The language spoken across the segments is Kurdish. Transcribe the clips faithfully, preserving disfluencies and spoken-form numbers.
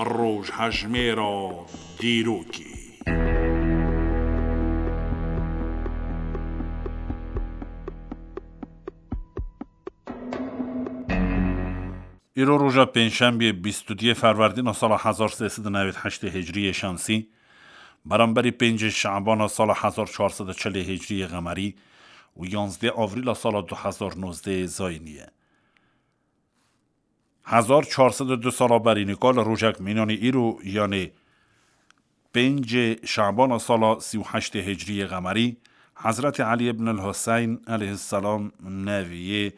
Rojhejmêra dîrokê. Îro roja pêncşembiyê bîst û duyê Ferwerdîna sala hezar sê sed û newêd heştê Hicriyê Şemsî, beramberî pêncê Şebana sala hezar çar sed û çilê Hicriyê Qemerî û yanzdê Avrîla sala du hezar nozdehê Zayînî ye. Hezar çar sed û du sala berî nika li rojek mînanî îro, yanê pêncê Şebana sala sî û heştê Hicriyê Qemerî, Hezretî Elî ibn el-Huseyn aleyhisselam neviyê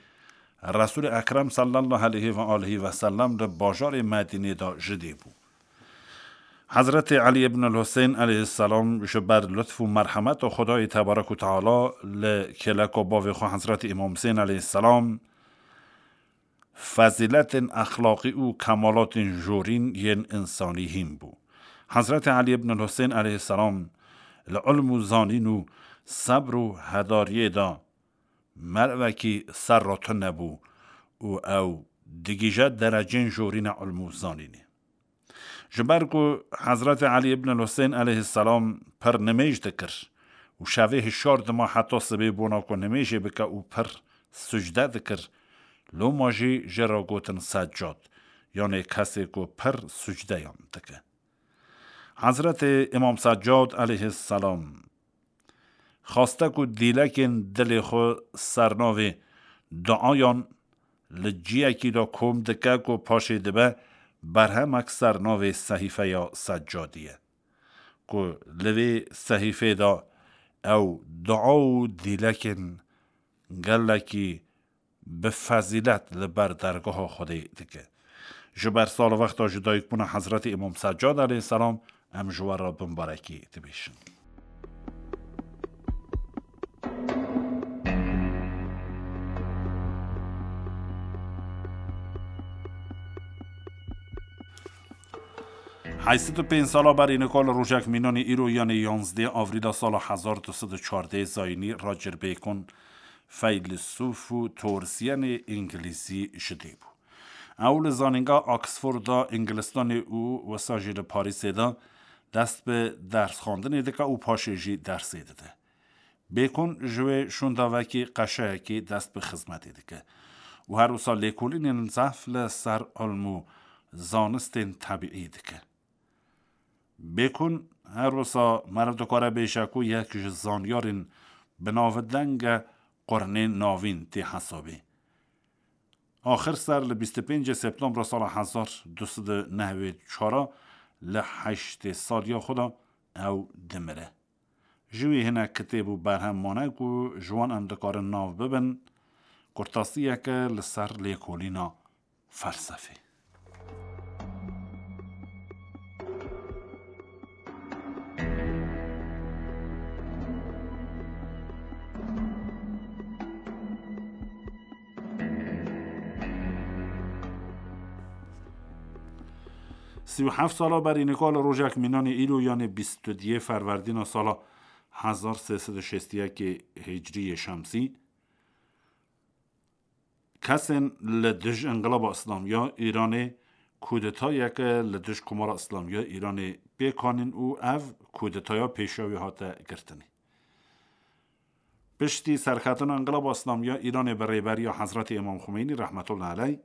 Resûlê Ekrem sallallahu aleyhi ve aleyhi ve sellem li bajarê Medînê de ji dê bû. Hezretî Elî ibn el-Huseyn aleyhisselam ji ber lutf û merhemeta Xwedayê tebarek û teala li kêleka bavê xwe Hezretî Îmam Husên aleyhisselam fezîletên exlaqî û kemalatên jorîn yên însanî hîn bû. Hezretî Elî ibn Husên aleyhisselam li ilm û zanîn û sebr û hedariyê de mervekî serra tune bû û ew digihîje derecên jorîna ilm û zanînê. Ji ber ku Hezretî Elî ibn Husên aleyhisselam pir nimêj dikir û şevê hişyar dima heta sibê bona ku nimêjê bike û pir sucde dikir, loma jî jê re gotin Seccad, yanê kesê ku pir sucdeyan dike. Hezretî Îmam Seccad aleyhisselam xwaste ku dîlekên dilê xwe ser navê duayan li ciyekî de kom dike ku paşê dibe berhemek ser navê Sehîfeya Seccadî ye, ku li vê sehîfê de ew dua û dîlekên gelekî bi fezîlet li ber dergeha Xwedê dike. Ji ber salvexta ji dayikbûna Hezretî Îmam Seccad aleyhisselam em ji we re bimbarekî dibêjin. Heyşt sed û pênc sala berî nika li rojek mînanî îro, yanê yanzdê Avrîla sala hezar du sed û çardeh Zayînî, Roger Bacon, feylesûf û teorîsyenê îngilîzî ji dê bû. Ew li zanîngeha Oxforda Îngilistanê û wisa jî li Parîsê de dest bi dersxwendinê dike û paşê jî dersê dide. Bêkon ji wê şûnda wekî qeşeyekî dest bi xizmetê dike û her wisa lêkolînên zehf li ser ilm û zanistên tebîî dike. Bêkon her wisa meriv dikare bêje ku yek ji zanyarên binavdenge qurnê navîn tê hesabê. Axir ser li bîst û pêncê Septembra sala hezar du sed û nehwê çar li heştê saliya xwe de ew dimire. Ji wî hinek kitêb û berhem mane ku ji wan em dikarin nav bibin, kurtasiyeke li ser lêkolîna felsefê. Sî û heft sala berî nika li rojek mînanê îro, yanê bîst û duyê Ferwerdîna sala hezar sê sed û şêst û yekê Hicriyê Şemsî, kesên li dij Înqilaba Îslamî ya Îranê kudetayeke li dij Komara Îslamî ya Îranê pêk anîn û ev kudetaya pêşiya wî hate girtinê. Piştî serketina Înqilaba Îslamî ya Îranê bi rêberiya Hezretî Îmam Xumeynî rehmetullah aleyh,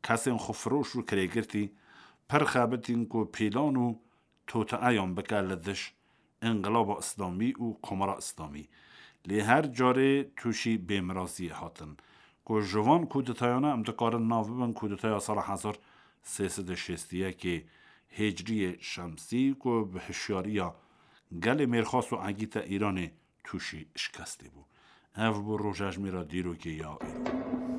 kesên xwefiroş û kirêgirtî pir xebitîn ku pîlan û toteeyan bike li dij Înqilaba Îslamî û Komara Îslamî. Lê her carê tûşî bêmiraziyê hatin. Ku ji van kudetayana em dikarin nav bibin kudetaya sala hezar sê sed û şêst û yekê Hicriyê Şemsî ku bi hişyariya gelê mêrxas û egîta Îranê tûşî şikestê bû. Ev bû rojejmêra dîrokê ya îro.